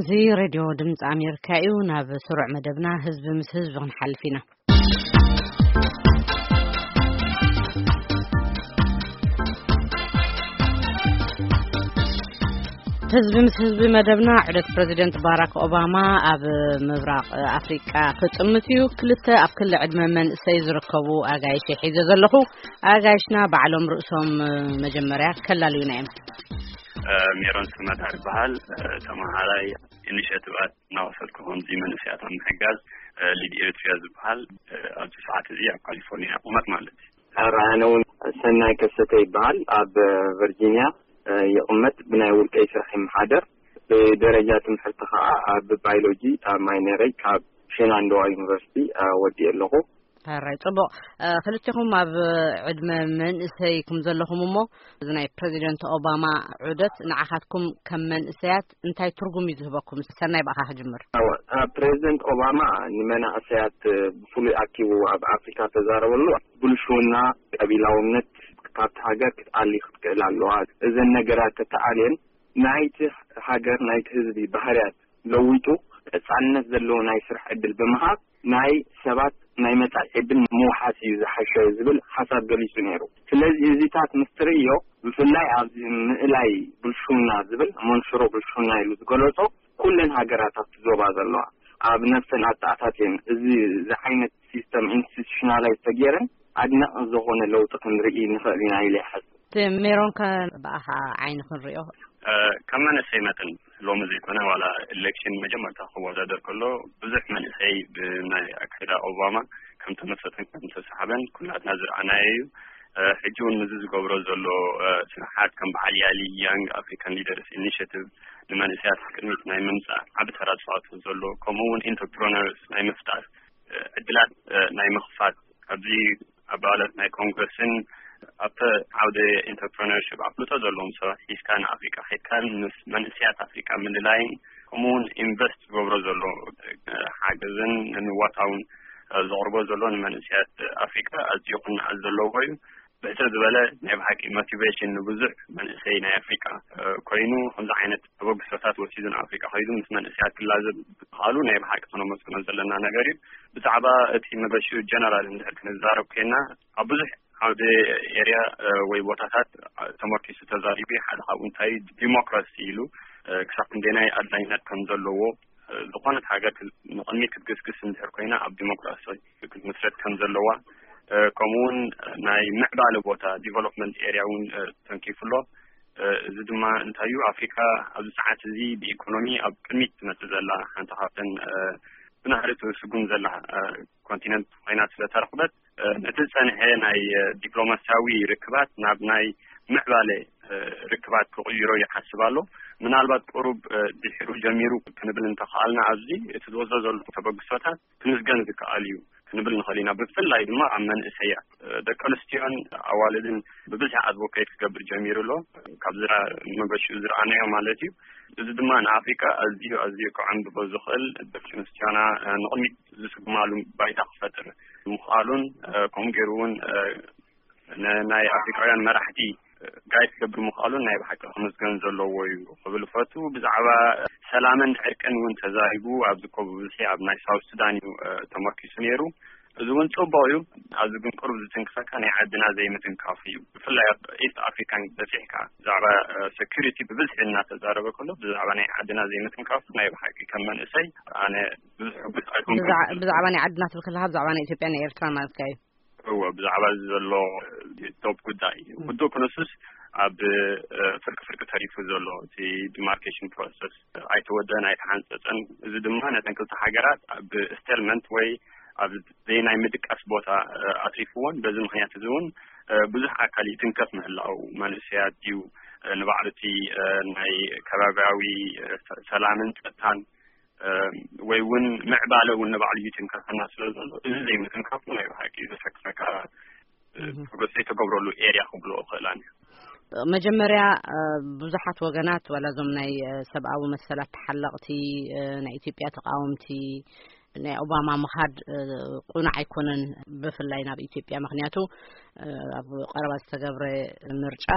እዚ ሬድዮ ድምፂ ኣሜሪካ እዩ። ናብ ስሩዕ መደብና ህዝቢ ምስ ህዝቢ ክንሓልፍ ኢና። ህዝቢ ምስ ህዝቢ መደብና፣ ዑደት ፕረዚደንት ባራክ ኦባማ ኣብ ምብራቕ ኣፍሪቃ ክጥምት እዩ። ክልተ ኣብ ክሊ ዕድመ መንእሰይ ዝርከቡ ኣጋይሽ ሒዘ ዘለኹ። ኣጋይሽና ባዕሎም ርእሶም መጀመርያ ከላልዩና እዮም። ሜሮን ስመታ ይበሃል። ተመሃራይ ኢኒሼቲቫት እናወሰድኩ፣ ከምዚ መንእሰያት ኣብ ምሕጋዝ፣ ሊድ ኤሪትሪያ ዝበሃል፣ ኣብዚ ሰዓት እዚ ኣብ ካሊፎርኒያ እቕመጥ ማለት እዩ። ኣነ እውን ሰናይ ከሰተ ይበሃል። ኣብ ቨርጂኒያ ይቕመጥ። ብናይ ውልቀይ ስራሕ ይመሓደር። ብደረጃ ትምህርቲ ከዓ ኣብ ባዮሎጂ ኣብ ማይነረይ ካብ ሼናንዶዋ ዩኒቨርሲቲ ወዲእ ኣለኹ። ሕራይ፣ ጽቡቕ። ክልቴኹም ኣብ ዕድመ መንእሰይ ኩም ዘለኹም እሞ፣ እዚ ናይ ፕረዚደንት ኦባማ ዑደት ንዓኻትኩም ከም መንእሰያት እንታይ ትርጉም እዩ ዝህበኩም? ሰናይ፣ ብኣኻ ክጅምር። ፕረዚደንት ኦባማ ንመናእሰያት ብፍሉይ ኣኪቡ ኣብ ኣፍሪካ ተዛረበሉ። ብልሽውና፣ ቀቢላውነት፣ ካብቲ ሃገር ክትኣሊ ክትክእል ኣለዋ። እዘን ነገራት ተተኣልየን ናይቲ ሃገር፣ ናይቲ ህዝቢ ባህርያት ለዊጡ ቀጻልነት ዘለዎ ናይ ስራሕ ዕድል ብምሃብ ናይ ሰባት ናይ መጻኢ ዕድል ምውሓስ እዩ ዝሓሸ ዝብል ሓሳብ ገሊጹ ነይሩ። ስለዚ እዚታት ምስ ትርእዮ፣ ብፍላይ ኣብዚ ምእላይ ብልሽውና ዝብል፣ መንሽሮ ብልሽውና ኢሉ ዝገለጾ፣ ኩለን ሃገራት ኣብቲ ዞባ ዘለዋ ኣብ ነፍሰን ኣተኣታትየን እዚ ዝዓይነት ሲስተም ኢንስቲቱሽናላይዝ ተገይረን ኣድናቂ ዝኾነ ለውጢ ክንርኢ ንኽእል ኢና ኢለ ይሓስብ። እቲ ሜሮን ከ ብኣኻ ዓይኒ ክንሪኦ? ከም መንእሰይ መጠን፣ ሎሚ ዘይኮነ ዋላ ኤሌክሽን መጀመርታ ክወዳደር ከሎ ብዙሕ መንእሰይ ብናይ ኣካይዳ ኦባማ ከም ተመሰጠን ከም ተሰሓበን ኩላትና ዝረኣናዮ እዩ። ሕጂ እውን ምዚ ዝገብሮ ዘሎ ስራሓት ከም በዓል ያሊ፣ ያንግ ኣፍሪካን ሊደርስ ኢኒሽቲቭ፣ ንመንእሰያት ቅድሚት ናይ ምምፃእ ዓቢ ተራ ዝፃወቱ ዘሎ፣ ከምኡ እውን ኢንተርፕረነርስ ናይ ምፍጣር ዕድላት ናይ ምኽፋት፣ ኣብዚ ኣባላት ናይ ኮንግረስን ኣብ ዓውደ ኢንተርፕረነርሽፕ ኣፍልጦ ዘለዎም ሰባት ሒዝካ ንኣፍሪቃ ሒዝካ ምስ መንእሰያት ኣፍሪቃ ምልላይን፣ ከምኡ እውን ኢንቨስት ዝገብሮ ዘሎ ሓገዝን ንምዋታውን ዘቕርቦ ዘሎ ንመንእሰያት ኣፍሪቃ ኣዝዩ ክነኣድ ዘለዎ እዩ። ብሕጽር ዝበለ ናይ ብሓቂ ሞቲቬሽን ንብዙሕ መንእሰይ ናይ ኣፍሪቃ ኮይኑ፣ ከምዚ ዓይነት ተበግሶታት ወሲዱ ንኣፍሪቃ ከይዱ ምስ መንእሰያት ክላዘብ ምኽኣሉ ናይ ብሓቂ ክነመስግኖ ዘለና ነገር እዩ። ብዛዕባ እቲ መገሽኡ ጀነራል እንድሕር ክንዛረብ ኮይና፣ ኣብ ብዙሕ ዓውደ ኤርያ ወይ ቦታታት ተመርኪሱ ተዛሪቡ። ሓደ ካብኡ እንታይ ዲሞክራሲ ኢሉ፣ ክሳብ ክንደናይ ኣድላይነት ከም ዘለዎ፣ ዝኾነት ሃገር ክ-፣ ንቕድሚት ክትግስግስ እንድሕር ኮይና ኣብ ዲሞክራሲ ክትምስረት ከም ዘለዋ፣ ከምኡ እውን ናይ ምዕባለ ቦታ ዲቨሎፕመንት ኤርያ እውን ተንኪፉ ኣሎ። እዚ ድማ እንታይ እዩ፣ ኣፍሪካ ኣብዚ ሰዓት እዚ ብኢኮኖሚ ኣብ ቅድሚት ትመፅእ ዘላ ሓንቲ ካብተን ብናህሪ ትስጉም ዘላ ኮንቲነንት ኮይና ስለተረኽበት፣ ነቲ ዝጸንሐ ናይ ዲፕሎማሲያዊ ርክባት ናብ ናይ ምዕባለ ርክባት ክቕይሮ ይሓስብ ኣሎ። ምናልባት ቁሩብ ድሒሩ ጀሚሩ ክንብል እንተኽኣልና፣ ኣብዚ እቲ ዝወስዶ ዘሎ ተበግሶታት ክምስገን ዝከኣል እዩ ክንብል ንኽእል ኢና። ብፍላይ ድማ ኣብ መንእሰያት፣ ደቂ ኣንስትዮን ኣዋልድን ብብዝሒ ኣድቮኬት ክገብር ጀሚሩ ኣሎ። ካብ ዝራ-፣ መገሽኡ ዝረኣናዮ ማለት እዩ። እዚ ድማ ንኣፍሪካ ኣዝዩ፣ ኣዝዩ ከዐንብቦ ዝኽእል፣ ደቂ ኣንስትዮና ንቕድሚት ዝስጉማሉ ባይታ ክፈጥር ምኽኣሉን፣ ከምኡ ገይሩ እውን ን-፣ ናይ ኣፍሪቃውያን መራሕቲ ጋይድ ክገብር ምኽኣሉን ናይ ብሓቂ ክምስገን ዘለዎ እዩ ክብል እፈቱ። ብዛዕባ ሰላምን ዕርቅን እውን ተዛሪቡ። ኣብዚ እኮ ብብዝሒ ኣብ ናይ ሳውት ሱዳን እዩ ተመርኪሱ ነይሩ። እዚ እውን ጽቡቕ እዩ። ኣብዚ ግን ቁሩብ ዝትንክፈካ ናይ ዓድና ዘይምትንካፉ እዩ። ብፍላይ ኣብ ኢስት ኣፍሪካን በጺሕካ ብዛዕባ ሴኩሪቲ ብብዝሒ እናተዛረበ ከሎ፣ ብዛዕባ ናይ ዓድና ዘይምትንካፉ ናይ ብሓቂ ከም መንእሰይ ኣነ ብዙሕ ሕጉስ ኣይኮንኩን። ብዛዕ-፣ ብዛዕባ ናይ ዓድና ትብል ከለኻ ብዛዕባ ናይ ኢትዮጵያ ናይ ኤርትራ ማለትካ እዩ? እወ፣ ብዛዕባ እዚ ዘሎ ቶፕ ጉዳይ ውዱእ ክንሱስ ኣብ ፍርቂ ፍርቂ ተሪፉ ዘሎ እቲ ዲማርኬሽን ፕሮሰስ ኣይተወደን ኣይተሓንጸጸን። እዚ ድማ ነተን ክልተ ሃገራት ኣብ ስቴልመንት ወይ ኣብ ዘይናይ ምድቃስ ቦታ ኣትሪፍዎን፣ በዚ ምኽንያት እዚ እውን ብዙሕ ኣካል ይትንከፍ ምህላው፣ መንእሰያት ድዩ ንባዕሉ እቲ ናይ ከባቢያዊ ሰላምን ጸጥታን ወይ እውን ምዕባለ እውን ንባዕሉ ይትንከፈና ስለ ዘሎ፣ እዚ ዘይምትንካፉ ናይ ብሓቂ ዘሰክፈካ ፕሮግረስ ዘይተገብረሉ ኤርያ ክብሎ እኽእል ኣነ። መጀመርያ ብዙሓት ወገናት፣ ዋላ እዞም ናይ ሰብኣዊ መሰላት ተሓለቕቲ፣ ናይ ኢትዮጵያ ተቃወምቲ፣ ናይ ኦባማ ምኻድ ቁኑዕ ኣይኮነን፣ ብፍላይ ናብ ኢትዮጵያ። ምኽንያቱ ኣብ ቀረባ ዝተገብረ ምርጫ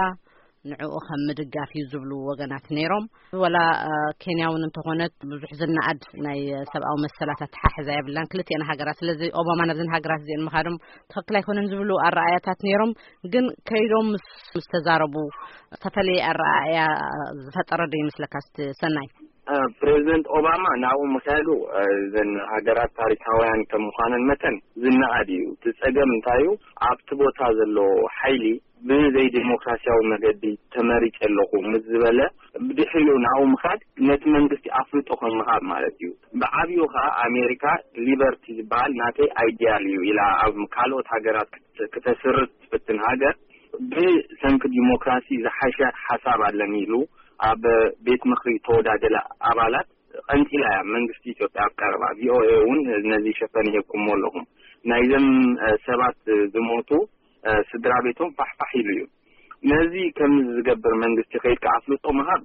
ንዕኡ ከም ምድጋፍ እዩ ዝብሉ ወገናት ነይሮም። ወላ ኬንያ እውን እንተኾነት ብዙሕ ዝነኣድ ናይ ሰብኣዊ መሰላት ኣተሓሕዛ የብላን ክልቲኤን ሃገራት። ስለዚ ኦባማ ነብዘን ሃገራት እዚአን ምኻዶም ትኽክል ኣይኮነን ዝብሉ ኣረኣያታት ነይሮም። ግን ከይዶም ምስ ተዛረቡ ዝተፈለየ ኣረኣእያ ዝፈጠረ ዶ ይመስለካ? ስቲ ሰናይ። ፕሬዚደንት ኦባማ ናብኡ ምክያዱ፣ እዘን ሃገራት ታሪካውያን ከም ምዃነን መጠን ዝነኣድ እዩ። እቲ ጸገም እንታይ እዩ? ኣብቲ ቦታ ዘሎ ሓይሊ ብዘይ ዴሞክራሲያዊ መገዲ ተመሪጸ ኣለኹ ምስ ዝበለ፣ ብድሕሪኡ ናብኡ ምኻድ ነቲ መንግስቲ ኣፍልጦ ከም ምሃብ ማለት እዩ። ብዓብዩ ከኣ ኣሜሪካ ሊበርቲ ዝበሃል ናተይ ኣይዲያል እዩ ኢላ ኣብ ካልኦት ሃገራት ክተ- ክተስርጽ ትፍትን ሃገር፣ ብሰንኪ ዲሞክራሲ ዝሓሸ ሓሳብ ኣለኒ ኢሉ ኣብ ቤት ምኽሪ ተወዳደለ ኣባላት ቀንጢላ እያ መንግስቲ ኢትዮጵያ ኣብ ቀረባ። ቪኦኤ እውን ነዚ ሸፈን ይህብኩሞ ኣለኹም። ናይዘም ሰባት ዝሞቱ ስድራ ቤቶም ፋሕፋሕ ኢሉ እዩ። ነዚ ከም ዝገብር መንግስቲ ከይድካ ኣፍልጦ ምሃብ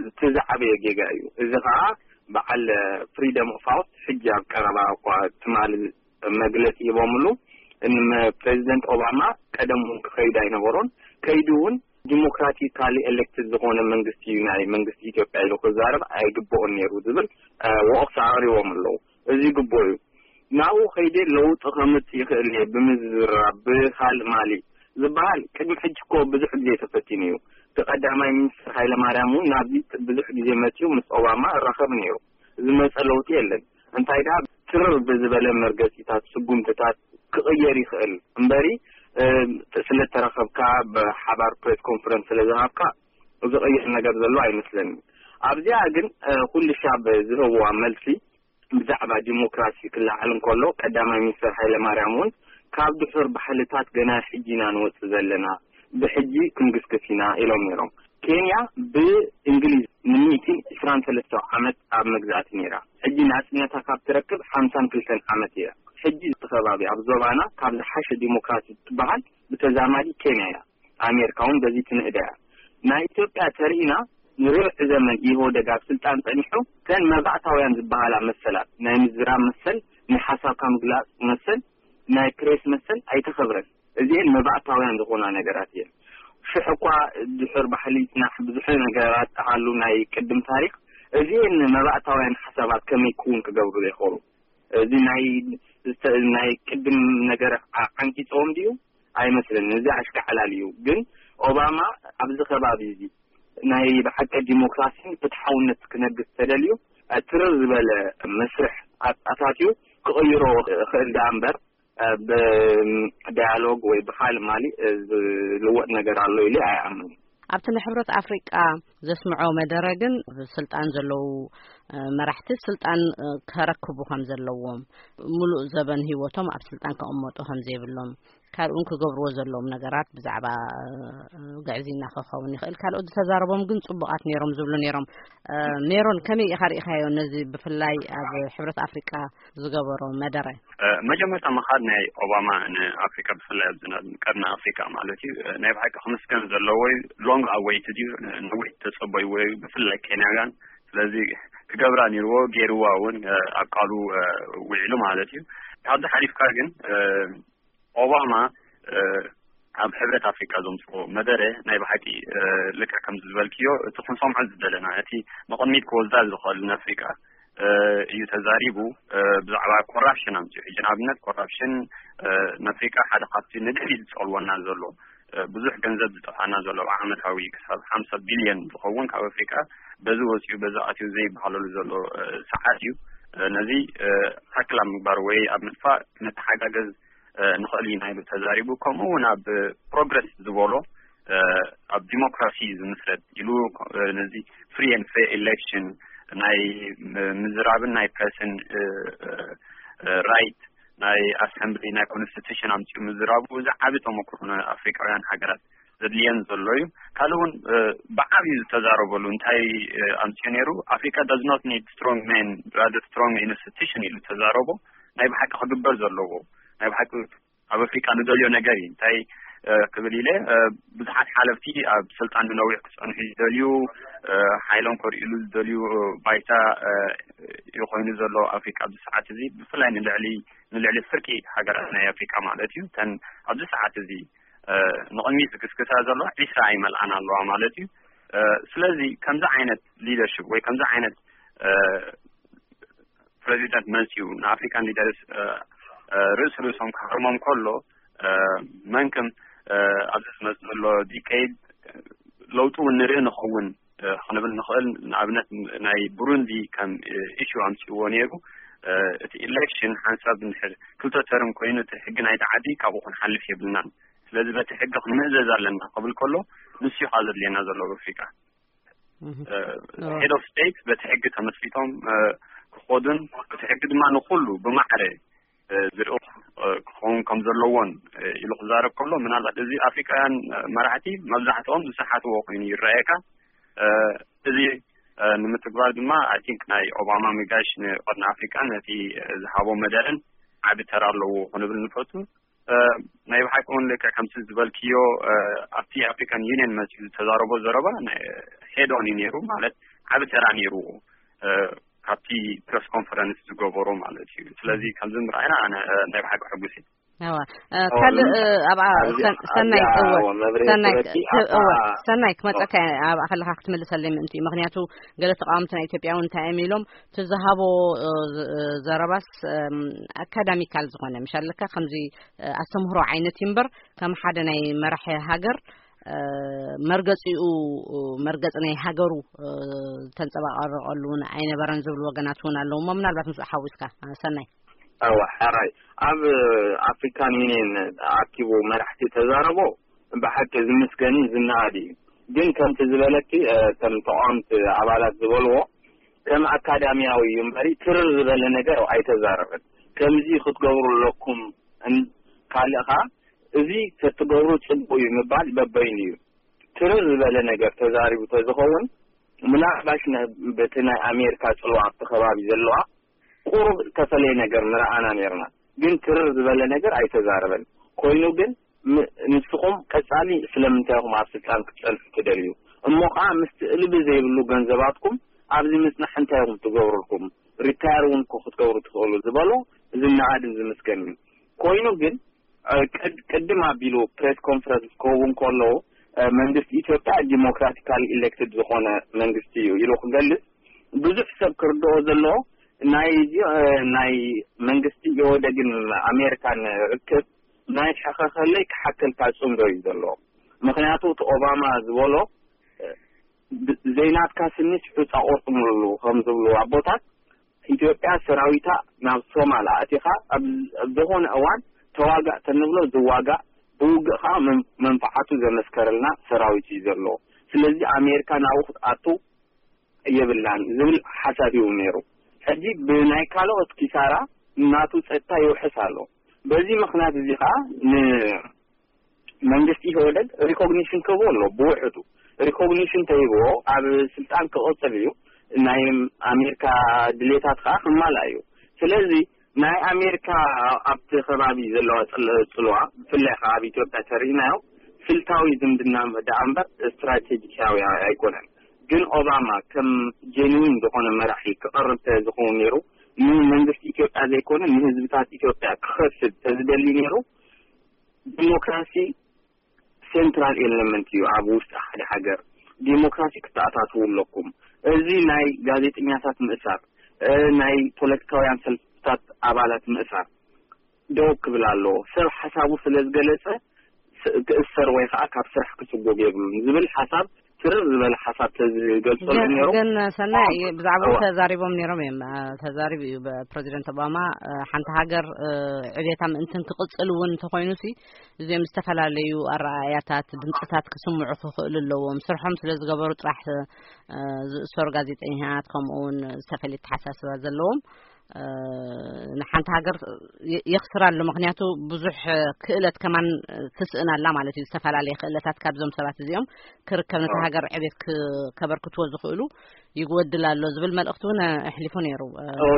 እቲ ዝዓበየ ጌጋ እዩ። እዚ ከዓ በዓል ፍሪደም ኦፍ ሃውስ ሕጂ ኣብ ቀረባ እኳ ትማሊ መግለፂ ሂቦምሉ። ፕሬዚደንት ኦባማ ቀደም እውን ክኸይድ ኣይነበሮን፣ ከይዱ እውን ዲሞክራቲካሊ ኤሌክትድ ዝኾነ መንግስቲ እዩ ናይ መንግስቲ ኢትዮጵያ ኢሉ ክዛረብ ኣይግብኦን ነይሩ ዝብል ወቕሳ ኣቕሪቦም ኣለዉ። እዚ ግቡእ እዩ። ናብኡ ከይደ ለውጢ ከምጽእ ይኽእል እየ ብምዝራብ ብካልእ ማሊ ዝበሃል ቅድሚ ሕጂ እኮ ብዙሕ ግዜ ተፈቲኑ እዩ። እቲ ቀዳማይ ሚኒስትር ሃይለማርያም እውን ናብዚ ብዙሕ ግዜ መጺኡ ምስ ኦባማ እራኸብ ነይሩ። ዝመጸ ለውጢ የለን። እንታይ ደኣ ትርር ብዝበለ መርገጺታት፣ ስጉምትታት ክቕየር ይኽእል እምበሪ፣ እ፣ ስለ ተረኸብካ፣ ብሓባር ፕሬስ ኮንፈረንስ ስለ ዝሃብካ ዝቕየር ነገር ዘሎ ኣይመስለኒ። ኣብዚኣ ግን፣ እ፣ ኩሉ ሻብ ዝህብዋ መልሲ ብዛዕባ ዲሞክራሲ ክለዓል እንከሎ፣ ቀዳማይ ሚኒስትር ሃይለማርያም እውን ካብ ድሑር ባህልታት ገና ሕጂ ኢና ንወጽእ ዘለና፣ ብሕጂ ክንግስግስ ኢና ኢሎም ነይሮም። ኬንያ ብእንግሊዝ ንሚእትን ዕስራን ሰለስተ ዓመት ኣብ መግዛእቲ ነይራ። ሕጂ ናጽነታ ካብ ትረክብ ሓምሳን ክልተን ዓመት እያ። ሕጂ እቲ ከባቢ ኣብ ዞባና ካብ ዝሓሸ ዲሞክራሲ ትበሃል ብተዛማዲ ኬንያ እያ። ኣሜሪካ እውን በዚ ትንእዳ እያ። ናይ ኢትዮጵያ ተርኢና ንርብዒ ዘመን ኢህወደግ ኣብ ስልጣን ጸኒሑ፣ እተን መባእታውያን ዝበሃላ መሰላት፣ ናይ ምዝራብ መሰል፣ ናይ ሓሳብካ ምግላጽ መሰል፣ ናይ ፕሬስ መሰል ኣይተኸብረን። እዚኤን መባእታውያን ዝኾና ነገራት እየን። ሽሕ እኳ ድሑር ባህሊ ይጽናሕ፣ ብዙሕ ነገራት ኣሃሉ ናይ ቅድም ታሪኽ፣ እዚኤን መባእታውያን ሓሳባት ከመይ ክውን ክገብሩ ዘይኽእሉ? እዚ ናይ፣ ናይ ቅድም ነገር ዓ-፣ ዓንቂጽዎም ድዩ? ኣይመስለንን። እዚ ኣሽካዕላል እዩ። ግን ኦባማ ኣብዚ ከባቢ እዚ ናይ ብሓቂ ዲሞክራሲን ፍትሓውነት ክነግስ ተደልዩ፣ ትርር ዝበለ መስርሕ ኣት-፣ ኣታትዩ ክቕይሮ ክእል ደኣ እምበር፣ ብዳያሎግ ወይ ብኻልእ ማሊ ዝልወጥ ነገር ኣሎ ኢለ ኣይኣምንን። ኣብቲ ንሕብረት ኣፍሪቃ ዘስምዖ መደረ ግን፣ ስልጣን ዘለዉ መራሕቲ ስልጣን ከረክቡ ከም ዘለዎም፣ ሙሉእ ዘበን ህይወቶም ኣብ ስልጣን ከቐመጡ ከም ዘይብሎም፣ ካልእ እውን ክገብርዎ ዘለዎም ነገራት ብዛዕባ ግዕዝይና ክኸውን ይኽእል። ካልኦት ዝተዛረቦም ግን ጽቡቓት ነይሮም ዝብሉ ነይሮም። ሜሮን፣ ከመይ ኢኻ ርኢኻዮ ነዚ ብፍላይ ኣብ ሕብረት ኣፍሪቃ ዝገበሮ መደረ? እ፣ መጀመርታ ምኻድ ናይ ኦባማ ንኣፍሪካ፣ ብፍላይ ኣብዚ ናብ ቀርኒ ኣፍሪካ ማለት እዩ፣ እ፣ ናይ ብሓቂ ክምስገን ዘለዎ እዩ። ሎንግ ኣወይትድ እዩ፣ እ፣ ነዊሕ ተጸበይዎ እዩ፣ ብፍላይ ኬንያውያን። ስለዚ ክገብራ ነይርዎ፣ ገይርዋ እውን፣ እ፣ ኣብ ቃሉ፣ እ፣ ውዒሉ ማለት እዩ። ካብዚ ሓሊፍካ ግን፣ እ፣ ኦባማ፣ እ፣ ኣብ ሕብረት ኣፍሪካ ዘምፅኦ መደረ ናይ ብሓቂ፣ እ፣ ልክዕ ከምዚ ዝበልክዮ፣ እቲ ክንሰምዖ ዝደለና፣ እቲ ንቕድሚት ክወስዳ ዝኽእል ንኣፍሪካ፣ እ፣ እዩ ተዛሪቡ። እ፣ ብዛዕባ ኮራፕሽን ኣምፅኡ። ሕጂ ንኣብነት ኮራፕሽን፣ እ፣ ንኣፍሪካ ሓደ ካብቲ ንድሕሪት ዝፀልወና ዘሎ፣ እ፣ ብዙሕ ገንዘብ ዝጠፍኣና ዘሎ ዓመታዊ ክሳብ ሓምሳ ቢልዮን ዝኸውን ካብ ኣፍሪካ በዚ ወፂኡ በዚ ኣትዩ ዘይበሃለሉ ዘሎ፣ እ፣ ሰዓት እዩ። እ፣ ነዚ፣ እ፣ ታክላ ምግባር ወይ ኣብ ምጥፋእ ነተሓጋገዝ፣ እ፣ ንኽእል ኢና ኢሉ ተዛሪቡ። ከምኡ እውን ኣብ ፕሮግረስ ዝበሎ፣ እ፣ ኣብ ዲሞክራሲ ዝምስረት ኢሉ፣ እ፣ ነዚ ፍሪ ኤንድ ፌር ኢሌክሽን፣ ናይ ም-፣ ምዝራብን ናይ ፕረስን፣ እ፣ እ፣ እ፣ ራይት፣ ናይ ኣሰምብሊ፣ ናይ ኮንስቲቱሽን ኣምፅኡ ምዝራቡ፣ እዚ ዓቢ ተመክሮ ንኣፍሪቃውያን ሃገራት ዘድልየን ዘሎ እዩ። ካልእ እውን፣ እ፣ ብዓብዩ ዝተዛረበሉ እንታይ፣ እ፣ ኣምፅኡ ነይሩ? ኣፍሪካ does not need strong men, rather strong institution ኢሉ ተዛረቦ። ናይ ብሓቂ ክግበር ዘለዎ፣ ናይ ብሓቂ ኣብ ኣፍሪካ ንደልዮ ነገር እዩ። እንታይ፣ እ፣ ክብል ኢለ፣ እ፣ ብዙሓት ሓለፍቲ ኣብ ስልጣን ንነዊሕ ክፀንሑ ዝደልዩ፣ እ፣ ሓይሎም ከርእሉ ዝደልዩ፣ እ፣ ባይታ፣ እ፣ እዩ ኮይኑ ዘሎ ኣፍሪካ ኣብዚ ሰዓት እዚ፣ ብፍላይ ንልዕሊ፣ ንልዕሊ ፍርቂ ሃገራት ናይ ኣፍሪካ ማለት እዩ። እተን ኣብዚ ሰዓት እዚ ንቕድሚት ዝግስግሳ ዘሎ ዒስራ ኣይመልኣን ኣለዋ ማለት እዩ። ስለዚ ከምዚ ዓይነት ሊደርሽፕ ወይ ከምዚ ዓይነት ፕሬዚደንት መፅዩ ንኣፍሪካን ሊደርስ ርእስ ርእሶም ክሃርሞም ከሎ መንክም ኣብዚ ዝመፅ ዘሎ ዲኬይድ ለውጡ እውን ንርኢ ንኸውን ክንብል ንኽእል። ንኣብነት ናይ ብሩንዲ ከም ኢሹ ኣምፅዎ ነይሩ። እቲ ኢሌክሽን ሓንሳብ እንድሕር ክልተ ተርም ኮይኑ እቲ ሕጊ ናይቲ ዓዲ ካብኡ ክንሓልፍ የብልናን። ስለዚ በቲ ሕጊ ክንምእዘዝ ኣለና ክብል ከሎ ንሱ እዩ ዘድልየና ዘሎ ኣብ ኣፍሪካ። ሄድ ኦፍ ስቴት በቲ ሕጊ ተመስሪቶም ክኾዱን እቲ ሕጊ ድማ ንኩሉ ብማዕረ ዝርኡ ክኸውን ከም ዘለዎን ኢሉ ክዛረብ ከሎ ምናልባት እዚ ኣፍሪካውያን መራሕቲ መብዛሕትኦም ዝሰሓትዎ ኮይኑ ይረኣየካ። እዚ ንምትግባር ድማ ኣይ ቲንክ ናይ ኦባማ ሚጋሽ ንቀርኒ ኣፍሪካ ነቲ ዝሃቦ መደረን ዓቢ ተራ ኣለዎ ክንብል ንፈቱ። ናይ ብሓቂ እውን ልክዕ ከምቲ ዝበልክዮ ኣብቲ ኣፍሪካን ዩኒየን መፅኡ ዝተዛረቦ ዘረባ ሄድ ኦን እዩ ነይሩ ማለት ዓቢ ተራ ነይሩ ካብቲ ፕረስ ኮንፈረንስ ዝገበሮ ማለት እዩ። ስለዚ ከምዚ ምርኣይና ኣነ ናይ ብሓቂ ሕጉስ እዩ። እዋ ካልእ ኣብኣ ሰናይ እወ ሰናይ እወ ሰናይ ክመፀካ ኣብኣ ከለካ ክትምልሰለይ ምእንቲ እዩ። ምክንያቱ ገለ ተቃወምቲ ናይ ኢትዮጵያ እውን እንታይ እዮም ኢሎም እቲ ዝሃቦ ዘረባስ ኣካዳሚካል ዝኾነ ምሽ ኣለካ ከምዚ ኣስተምህሮ ዓይነት እዩ እምበር ከም ሓደ ናይ መራሒ ሃገር መርገፂኡ መርገፂ ናይ ሃገሩ ዝተንፀባቀረቀሉ እውን ኣይነበረን ዝብሉ ወገናት እውን ኣለዉ እሞ ምናልባት ምስ ሓዊስካ ሰናይ እወ ሕራይ ኣብ ኣፍሪካን ዩኒየን ኣኪቡ መራሕቲ ተዛረቦ ብሓቂ ዝምስገንን ዝነኣድ እዩ። ግን ከምቲ ዝበለኪ ከም ተቃወምቲ ኣባላት ዝበልዎ ከም ኣካዳሚያዊ እዩ እምበሪ ትርር ዝበለ ነገር ኣይተዛረበን። ከምዚ ክትገብሩ ኣለኩም ካልእ ከዓ እዚ ተትገብሩ ፅቡቅ እዩ ምባል በበይኑ እዩ። ትርር ዝበለ ነገር ተዛሪቡ ተዝኸውን ምናልባሽ በቲ ናይ ኣሜሪካ ፅልዋ ኣብቲ ከባቢ ዘለዋ ቁሩብ ዝተፈለየ ነገር ምረኣና ነርና። ግን ትርር ዝበለ ነገር ኣይተዛረበን። ኮይኑ ግን ንስኹም ቀፃሊ ስለምንታይ ኢኹም ኣብ ስልጣን ክትፀንሑ ትደልዩ? እሞ ከዓ ምስቲ እልቢ ዘይብሉ ገንዘባትኩም ኣብዚ ምፅናሕ እንታይ ኢኹም ትገብሩልኩም? ሪታየር እውን ክትገብሩ ትኽእሉ ዝበሎ ዝነኣድን ዝምስገን እዩ። ኮይኑ ግን ቅድም ኣቢሉ ፕሬስ ኮንፈረንስ ክኸውን ከለዉ መንግስቲ ኢትዮጵያ ዲሞክራቲካሊ ኢሌክትድ ዝኾነ መንግስቲ እዩ ኢሉ ክገልጽ ብዙሕ ሰብ ክርድኦ ዘለዎ ናይ ናይ መንግስቲ ኢህወደግን ኣሜሪካን ርክብ ናይ ሕኸኸለይ ክሓከልካ ጽምዶ እዩ ዘሎ። ምክንያቱ እቲ ኦባማ ዝበሎ ዘይናትካ ስኒስ ሑፃ ቆርጥምሉ ከም ዝብሉ ኣቦታት ኢትዮጵያ ሰራዊታ ናብ ሶማል ኣእቲኻ ኣብ ዝኾነ እዋን ተዋጋእ ተንብሎ ዝዋጋእ ብውግእ ከዓ መንፍዓቱ ዘመስከረልና ሰራዊት እዩ ዘሎ። ስለዚ ኣሜሪካ ናብኡ ክትኣቱ የብላን ዝብል ሓሳብ እዩ ነይሩ። ሕጂ ብናይ ካልኦት ኪሳራ ናቱ ፀጥታ ይውሕስ ኣሎ። በዚ ምክንያት እዚ ከዓ መንግስቲ ኢህወደግ ሪኮግኒሽን ክህቦ ኣሎ። ብውሕዱ ሪኮግኒሽን ተሂብዎ ኣብ ስልጣን ክቕፅል እዩ። ናይ ኣሜሪካ ድሌታት ከዓ ክማላ እዩ። ስለዚ ናይ ኣሜሪካ ኣብቲ ከባቢ ዘለዋ ፅልዋ ብፍላይ ከዓ ኣብ ኢትዮጵያ ተሪኢናዮ ስልታዊ ዝምድና ደኣ እምበር ስትራቴጂካዊ ኣይኮነን። ግን ኦባማ ከም ጀንዊን ዝኾነ መራሒ ክቐርብ ተዝኸውን ነይሩ ንመንግስቲ ኢትዮጵያ ዘይኮነ ንህዝብታት ኢትዮጵያ ክኸስብ ተዝደሊ ነይሩ ዲሞክራሲ ሴንትራል ኤለመንት እዩ ኣብ ውሽጢ ሓደ ሃገር። ዲሞክራሲ ክተኣታትዉ ኣለኩም። እዚ ናይ ጋዜጠኛታት ምእሳር፣ ናይ ፖለቲካውያን ሰልፍታት ኣባላት ምእሳር ደው ክብል ኣለዎ። ሰብ ሓሳቡ ስለ ዝገለጸ ክእሰር ወይ ከዓ ካብ ስራሕ ክስጎግ የብሉን ዝብል ሓሳብ ትርር ዝበለ ሓሳብ ተዝገልጸሉ ነይሩ። ግን ሰናይ ብዛዕባኡ ተዛሪቦም ነይሮም እዮም። ተዛሪቡ እዩ ፕሬዚደንት ኦባማ። ሓንቲ ሃገር ዕቤታ ምእንትን ክቕፅል እውን እንተኮይኑ ሲ እዚኦም ዝተፈላለዩ ኣረኣእያታት ድምፅታት ክስምዑ ክኽእሉ ኣለዎም። ስርሖም ስለ ዝገበሩ ጥራሕ ዝእሰሩ ጋዜጠኛታት ከምኡ እውን ዝተፈለየ ተሓሳስባ ዘለዎም ንሓንቲ ሃገር የኽስራ ኣሎ። ምክንያቱ ብዙሕ ክእለት ከማን ትስእን ኣላ ማለት እዩ። ዝተፈላለየ ክእለታት ካብዞም ሰባት እዚኦም ክርከብ ነቲ ሃገር ዕቤት ከበርክትዎ ዝኽእሉ ይጎድል ኣሎ ዝብል መልእኽቲ እውን ኣሕሊፉ ነይሩ።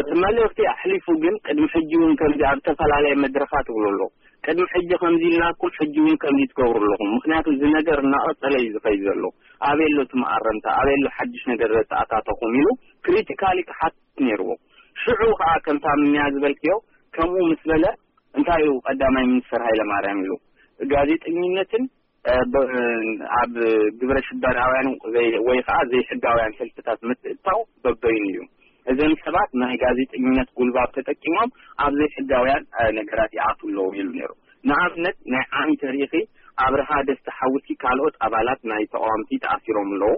እቲ መልእኽቲ ኣሕሊፉ ግን ቅድሚ ሕጂ እውን ከምዚ ኣብ ዝተፈላለየ መድረኻት ይብሉ ኣለዉ። ቅድሚ ሕጂ ከምዚ ኢልናኩም ሕጂ እውን ከምዚ ትገብሩ ኣለኹም። ምክንያቱ እዚ ነገር እናቐፀለ እዩ ዝኸይድ ዘሎ። ኣበይ ኣሎ እቲ መኣረምታ? ኣበይ ኣሎ ሓድሽ ነገር ዘተኣታተኹም ኢሉ ክሪቲካሊ ክሓትት ነይርዎ። ሽዑ ከዓ ከምታ ምንያ ዝበልክዮ ከምኡ ምስ በለ እንታይ እዩ ቀዳማይ ሚኒስትር ሃይለማርያም ኢሉ ጋዜጠኝነትን ኣብ ግብረ ሽበራውያን ወይ ከዓ ዘይሕጋውያን ሰልፍታት ምትእታው በበይኑ እዩ። እዘን ሰባት ናይ ጋዜጠኝነት ጉልባብ ተጠቂሞም ኣብ ዘይሕጋውያን ነገራት ይኣትዉ ኣለዉ ኢሉ ነይሩ። ንኣብነት ናይ ዓሚ ተሪኢኺ ኣብርሃ ደስታ ሓውሲ ካልኦት ኣባላት ናይ ተቃዋምቲ ተኣሲሮም ኣለዉ።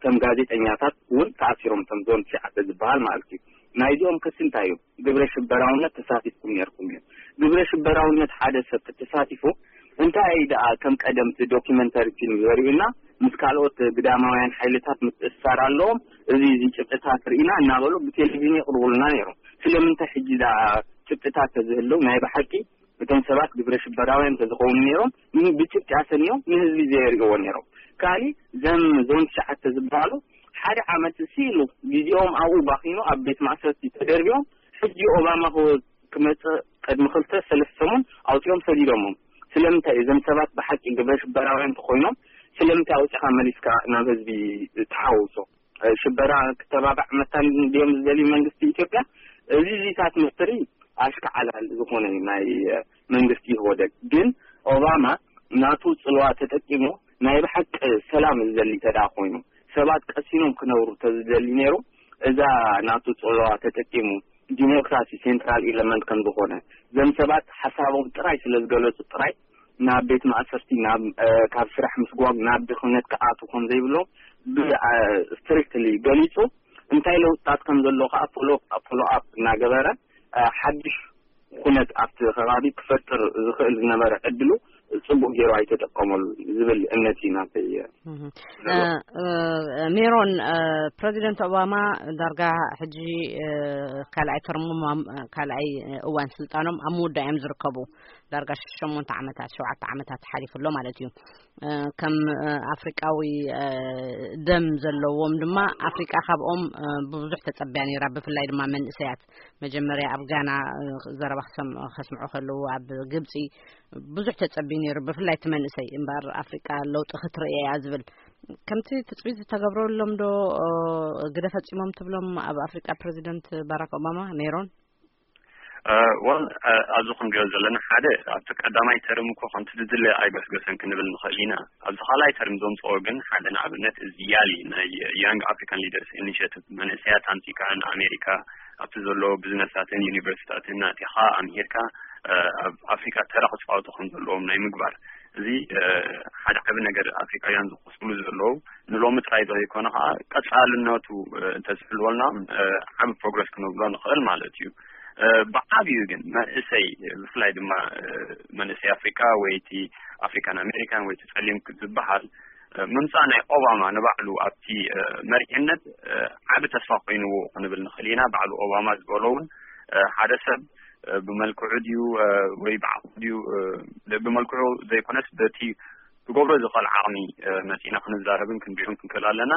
ከም ጋዜጠኛታት እውን ተኣሲሮም፣ እቶም ዞን ትሽዓተ ዝበሃል ማለት እዩ። ናይዚኦም ክሲ እንታይ እዩ? ግብረ ሽበራውነት ተሳቲፍኩም ነርኩም እዩ። ግብረ ሽበራውነት ሓደ ሰብ ተሳቲፉ እንታይ ደኣ ከም ቀደምቲ ዶኪመንተሪ ፊልም ዘርእዩና፣ ምስ ካልኦት ግዳማውያን ሓይልታት ምትእስሳር ኣለዎም፣ እዚ እዚ ጭብጥታት ርኢና እናበሉ ብቴሌቪዥን የቕርቡልና ነይሮም። ስለምንታይ ሕጂ ደኣ ጭብጥታት ተዝህልው ናይ ብሓቂ እቶም ሰባት ግብረ ሽበራውያን ተዝኸውን ነይሮም ብጭብጢ ኣሰንዮም ንህዝቢ ዘየርእዎ ነይሮም። ካሊ ዘም ዞን ትሽዓተ ዝበሃሉ ሓደ ዓመት ሲሉ ግዜኦም ኣብኡ ባኺኑ ኣብ ቤት ማእሰርቲ ተደርቢዮም ሕጂ ኦባማ ክመጽእ ቅድሚ ክልተ ሰለስተ ሰሙን ኣውጺኦም ሰዲዶሞም። ስለምንታይ እዞም ሰባት ብሓቂ ግብረ ሽበራውያን እንተኾይኖም ስለምንታይ ኣውጺኻ መሊስካ ናብ ህዝቢ ትሓውሶ? ሽበራ ክተባባዕ መታን ድዮም ዝደልዩ መንግስቲ ኢትዮጵያ? እዚ ዚታት ምስትሪ ኣሽካዓላል ዝኾነ ናይ መንግስቲ ኢህወደግ ግን ኦባማ ናቱ ጽልዋ ተጠቂሙ ናይ ብሓቂ ሰላም ዝደሊ ተዳ ኮይኑ ሰባት ቀሲኖም ክነብሩ ተዝደሊ ነይሩ እዛ ናቱ ጽልዋ ተጠቂሙ ዲሞክራሲ ሴንትራል ኤለመንት ከም ዝኾነ ዘም ሰባት ሓሳቦም ጥራይ ስለ ዝገለጹ ጥራይ ናብ ቤት ማእሰርቲ ናብ ካብ ስራሕ ምስጓግ ናብ ድኽነት ክኣቱ ከም ዘይብሎም ስትሪክትሊ ገሊጹ እንታይ ለውጥታት ከም ዘሎ ከዓ ፎሎ ኣፕ እናገበረ ሓድሽ ኩነት ኣብቲ ከባቢ ክፈጥር ዝኽእል ዝነበረ ዕድሉ ጽቡቅ ገይሩ ኣይተጠቀመሉ ዝብል እምነት እዩ ናተይ። ሜሮን፣ ፕረዚደንት ኦባማ ዳርጋ ሕጂ ካልኣይ ተርሞም ካልኣይ እዋን ስልጣኖም ኣብ ምውዳእ እዮም ዝርከቡ። ዳርጋ ሸሞንተ ዓመታት ሸውዓተ ዓመታት ሓሊፉ ኣሎ ማለት እዩ። ከም ኣፍሪቃዊ ደም ዘለዎም ድማ ኣፍሪቃ ካብኦም ብብዙሕ ተጸቢያ ነይራ። ብፍላይ ድማ መንእሰያት መጀመርያ ኣብ ጋና ዘረባ ከስምዑ ከለዉ ኣብ ግብጺ ብዙሕ ተጸቢ ነይሩ። ብፍላይ እቲ መንእሰይ እምበር ኣፍሪቃ ለውጢ ክትርኢ እያ ዝብል ከምቲ ትጽቢት ዝተገብረሎም ዶ ግደ ፈጺሞም ትብሎም ኣብ ኣፍሪቃ ፕረዚደንት ባራክ ኦባማ ሜሮን? ወል ኣብዚ ክንሪኦ ዘለና ሓደ ኣብቲ ቀዳማይ ተርም እኮ ከምቲ ዝድለ ኣይገስገሰን ክንብል ንኽእል ኢና። ኣብዚ ካልኣይ ተርም ዘምፅኦ ግን ሓደ ንኣብነት እዚ ያሊ ናይ ያንግ ኣፍሪካን ሊደርስ ኢኒሽቲቭ መንእሰያት ኣምፂካ ንኣሜሪካ ኣብቲ ዘሎ ብዝነሳትን ዩኒቨርሲታትን ናጢኻ ኣምሂርካ ኣብ ኣፍሪካ ተራ ክፃወቱ ከም ዘለዎም ናይ ምግባር እዚ ሓደ ዓቢ ነገር ኣፍሪካውያን ዝቆስሉ ዘለዉ ንሎሚ ጥራይ ዘይኮነ ከዓ ቀፃልነቱ እንተዝሕልወልና ዓቢ ፕሮግረስ ክንብሎ ንኽእል ማለት እዩ። ብዓብዩ ግን መንእሰይ ብፍላይ ድማ መንእሰይ ኣፍሪካ ወይ እቲ ኣፍሪካን ኣሜሪካን ወይ እቲ ፀሊም ዝበሃል ምምፃእ ናይ ኦባማ ንባዕሉ ኣብቲ መሪሕነት ዓቢ ተስፋ ኮይንዎ ክንብል ንኽእል ኢና። ባዕሉ ኦባማ ዝበሎ እውን ሓደ ሰብ ብመልክዑ ድዩ ወይ ብዓቕሙ ድዩ ብመልክዑ ዘይኮነስ በቲ ክገብሮ ዝኽእል ዓቕሚ መፂና ክንዛረብን ክንሪኦን ክንክእል ኣለና።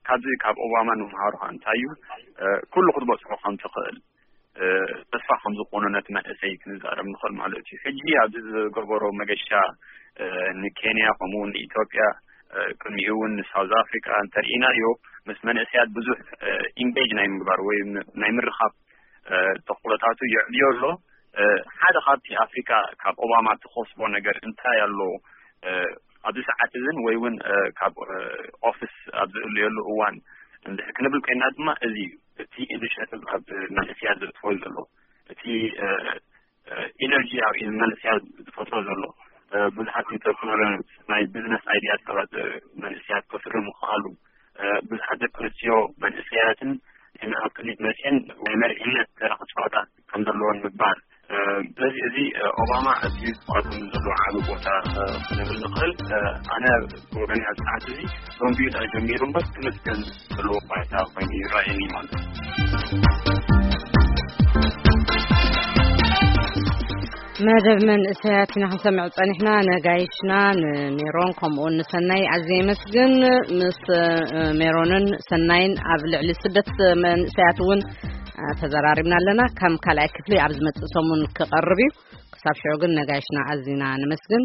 ካብዚ ካብ ኦባማ ንምሃሮ ከዓ እንታይ እዩ ኩሉ ክትበፅሖ ከም ትኽእል ተስፋ ከም ዝኾኑ ነቲ መንእሰይ ክንዛረብ ንኽእል ማለት እዩ። ሕጂ ኣብዚ ዝገበሮ መገሻ ንኬንያ ከምኡ እውን ንኢትዮጵያ ቅድሚኡ እውን ንሳውዝ ኣፍሪካ እንተርኢናዮ ምስ መንእሰያት ብዙሕ ኢንጌጅ ናይ ምግባር ወይ ናይ ምርኻብ ተኽእሎታቱ የዕብዮ ኣሎ። ሓደ ካብቲ ኣፍሪካ ካብ ኦባማ ትኸስቦ ነገር እንታይ ኣሎ ኣብዚ ሰዓት እዝን ወይ እውን ካብ ኦፊስ ኣብ ዝእለየሉ እዋን እንድሕር ክንብል ኮይና ድማ እዚ እዩ እቲ ኢኒሽቲቭ ኣብ መንእስያ ዘጥፎ ዘሎ እቲ ኢነርጂ ኣብ መንእስያ ዝፈጥሮ ዘሎ ብዙሓት ኢንተርፕረነርስ ናይ ቢዝነስ ኣይዲያስ ሰባት መንእስያት ከፍሪ ምኽኣሉ ብዙሓት ደቂ ኣንስትዮ መንእሰያትን ኣብ ክሊት መፅአን ናይ መሪሕነት ተራ ክፃወታ ከም ዘለዎን ምግባር ስለዚ እዚ ኦባማ እቲ ዝቋደም ዘሎ ዓቢ ቦታ ክንብል ንኽእል ኣነ ወገን ኣብ ሰዓት እዚ ዶንቢዩ ተጀሚሩ እምበር ክምስገን ዘለዎ ባይታ ኮይኑ ይረኣየኒ ማለት እዩ። መደብ መንእሰያት ኢና ክንሰምዕ ጸኒሕና። ነጋይሽና ንሜሮን ከምኡውን ንሰናይ ኣዝየ የመስግን። ምስ ሜሮንን ሰናይን ኣብ ልዕሊ ስደት መንእሰያት እውን ተዘራሪብና ኣለና። ከም ካልኣይ ክፍሊ ኣብ ዝመጽእ ሰሙን ክቐርብ እዩ። ክሳብ ሽዑ ግን ነጋይሽና ኣዚና ነመስግን።